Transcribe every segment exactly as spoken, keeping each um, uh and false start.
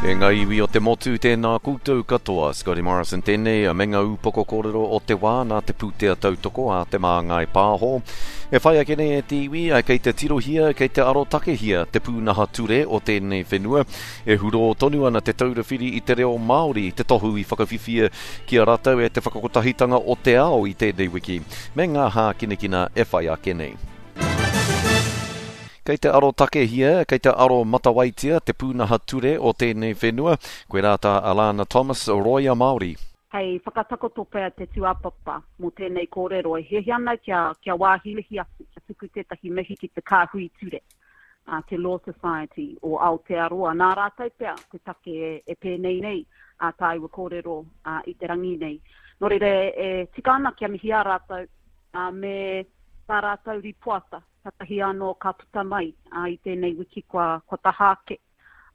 E ngā iwi o te motu, tēnā koutou katoa. Scotty Morrison tēnei, me ngā upoko kōrero o te wā nā te pūtea tautoko a Te Māngai Pāho. E whai ake nei e te iwi, kei te tirohia, kei te arotakehia te pūnaha ture o tēnei whenua. E hurō tonu ana Te Taura Whiri i te Reo Māori, te tohu i whakawhiwhia ki a rātou e te whakakotahitanga o te ao i tēnei wiki, me ngā hākinakina e whai ake nei. Kei te arotakehia, kei te aro matawaitia te pūnaha ture o tēnei whenua, koirā tā Alana Thomas, Roia Māori. Hei whakatakoto pea te tūāpapa mō tēnei kōrero e hiahia ana kia, kia wāhilihi atu, kia tuku tētahi mihi ki te kāhui ture, uh, te Law Society o Aotearoa. Nā rātou pea te take e, e pēnei nei a tāua kōrero uh, i te rangi nei. Nō reira e, e tika ana kia mihi a rātou uh, me tā rātou ripoata. Katahi anō ka puta mai uh, i tēnei wiki kua, kua taha ake.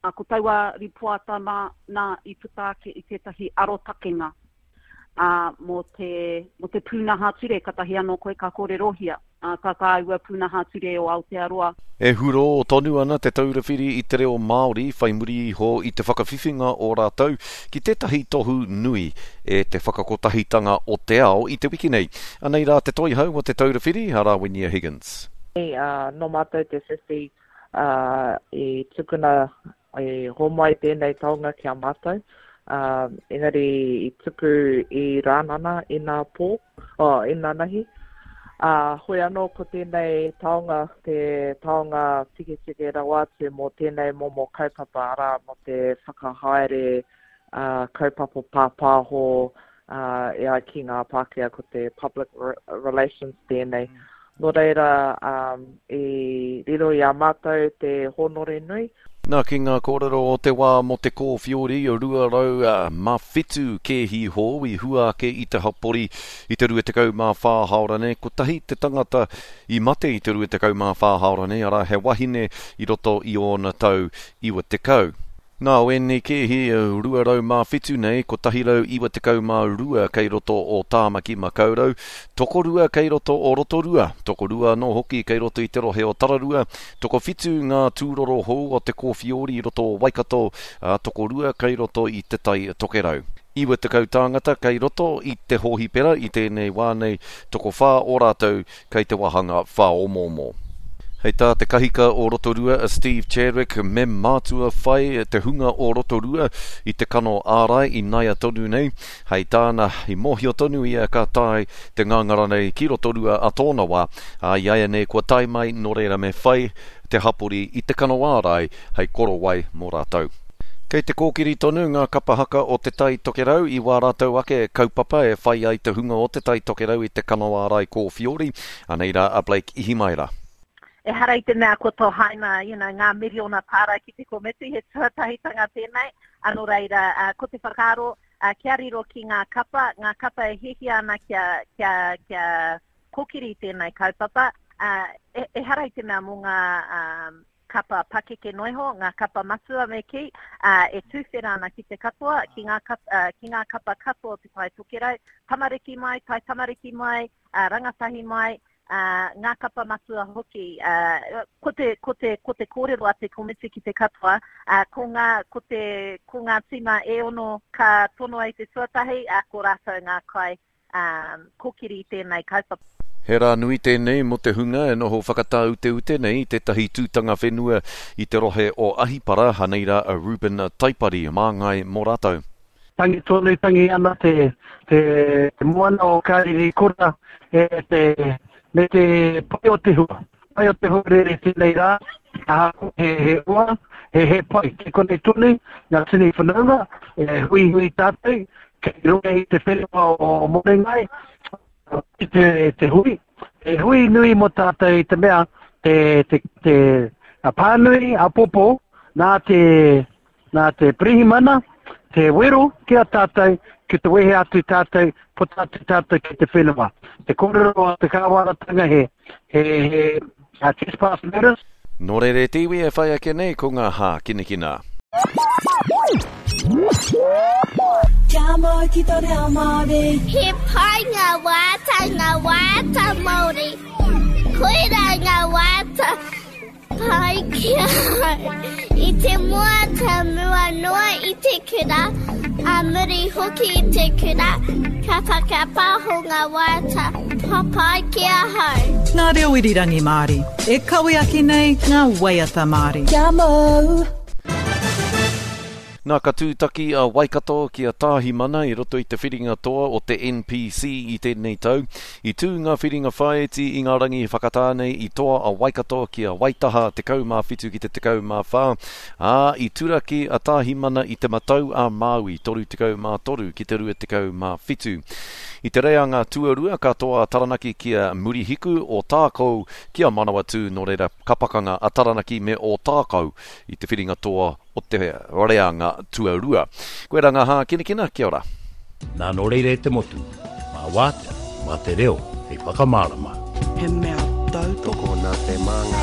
Uh, ko taua ripoata mā, nā i puta ake i tētahi arotakenga uh, mō te, mō te pūnaha ture, katahi anō koe ka kōrerohia uh, tā tāua pūnaha ture o Aotearoa. E hurō tonu ana Te Taura Whiri i te Reo Māori whai muri iho i te whakawhiwhinga o rātou ki tētahi tohu nui e te whakakotahitanga o te ao i te wiki nei. Anei rā te toihau o Te Taura Whiri, a Rawinia Higgins. Uh, nō mātou te whiwhi uh, i tukuna i homai tēnei taonga ki a mātou. Uh, engari i tuku i Rānana i nā pō, oh, i nā nahi. Uh, hoi anō ko tēnei taonga, te taonga tiketike rawa atu mō tēnei momo kaupapa, arā mō te whakahaere uh, kaupapa pāpāho uh, e ai ki ngā Pākehā ko te public relations tēnei. Mm. Nō reira, um, i riro i a mātou te hōnore nui. Nā ki ngā kōrero o te wā mō te kōwhiori, rua rau mā whitu kēhi hou i hua ake i te hapori i te rua tekau mā whā haora nei. Kotahi te tangata i mate i te rua tekau mā whā haora nei, arā he wahine i roto i ōna tau iwa tekau. Nā, o ēnei kēhi rua rau mā whitu nei, kotahi rau iwa tekau mā rua kei roto o Tāmaki Makaurau, tokorua kei roto o Rotorua, tokorua anō hoki kei roto i te rohe o Tararua, tokowhitu ngā tūroro hou o te kōwhiori i roto o Waikato, a tokorua kei roto i te Tai Tokerau. Iwa tekau tāngata kei roto i te hōhipera i tēnei wā nei, tokowhā o rātou kei te wāhanga whāomoomo. Hei tā te kahika o Rotorua a Steve Chadwick, me mātua whai te hunga o Rotorua i te kano ārai i naia tonu nei. Hei tāna, i mōhio tonu ia ka tae te ngāngara nei ki Rotorua a tōna wā. A i aia nei kua tae mai nō reira me whai te hapori i te kano ārai hei korowai mō rātou. Kei te kōkiri tonu ngā kapahaka o te Tai Tokerau i wā rātou ake kaupapa e whai ai te hunga o te Tai Tokerau i te kano ārai kōwhiori. Anei rā a Blake Ihimaera. Ehara i te mea ko tohaina, you know, ngā miriona tāra ki te komiti, he tuatahitanga tēnei. Anō reira, uh, ko te whakaaro, uh, kia riro ki ngā kapa, ngā kapa e hihia ana kia, kia, kia kōkiri tēnei kaupapa. Uh, e, ehara i te mea mō ngā um, kapa pakeke noiho, ngā kapa matua me ki, uh, e tūwhera ana ki te katoa, ki ngā kapa, uh, ki ngā kapa katoa o te Tai Tokerau, tamariki mai, tai tamariki mai, uh, rangatahi mai, Uh, ngā kapa matua hoki. Uh, ko te, ko te, ko te kōrero a te komiti ki te katoa, uh, ko ngā, ko te, ko ngā tīma e ono ka tonoa i te tuatahi, uh, ko rātou ngā kai um, kōkiri i tēnei kaupapa. He rā nui tēnei mō te hunga e noho whakatāuteute nei tētahi tūtanga whenua i te rohe o Ahipara, hanei rā a Ruben Taipari, māngai mō rātou. Tangi tonu tangi ana te, te, te moana o Kariri Kura e te, me te pai o te hua. Pai o te hua rere tēnei rā, ahakoa he, he ua, he, he pai. Te konei tonu, ngā tini whanaunga, e hui hui tātou, kei runga i te whenua o Morengai, te, te hui. E hui nui mō tātou i te mea, te, te, te a pānui, a popo, nā te, nā te pirihimana, te wero ki a tātou, ki te wehe atu tātou, puta atu tātou ki te whenua. Te kōrero a te kāwanatanga he, he, he, a trespass notice. Nō reira te iwi e whai ake nei ko ngā hākinakina. Kia mau ki tō reo Māori. He pai ngā wāta, ngā wāta Māori. Koirā ngā wāta pai ki ahau i te mua te mua noa i te kura, a muri hoki i te kura, ka whakapaho ngā waiata papai ki ahau. Ngā reo irirangi Māori, e kawe ake nei ngā waiata Māori. Kia mau! Nā, ka tūtaki a Waikato ki a Tāhimana i roto i te whiringa toa o te N P C i tēnei tau. I tū ngā whiringa whāiti i ngā rangi whakatā nei i toa a Waikato ki a Waitaha tekau mā whitu ki te tekau mā whā, ā, i turaki a Tāhimana i te matau a Māui toru tekau mā toru ki te rua tekau mā whitu. I te reanga tuarua ka toa a Taranaki ki a Murihiku o Tākou ki a Manawatū, nō reira ka pakanga a Taranaki me o Tākou i te whiringa toa o te reanga tuarua. Koe rā ngā hākinakina, kia ora. Nā nō reira e te motu, mā wātea, mā te reo, hei whakamārama. He mea tautoko. Tokona te māngai.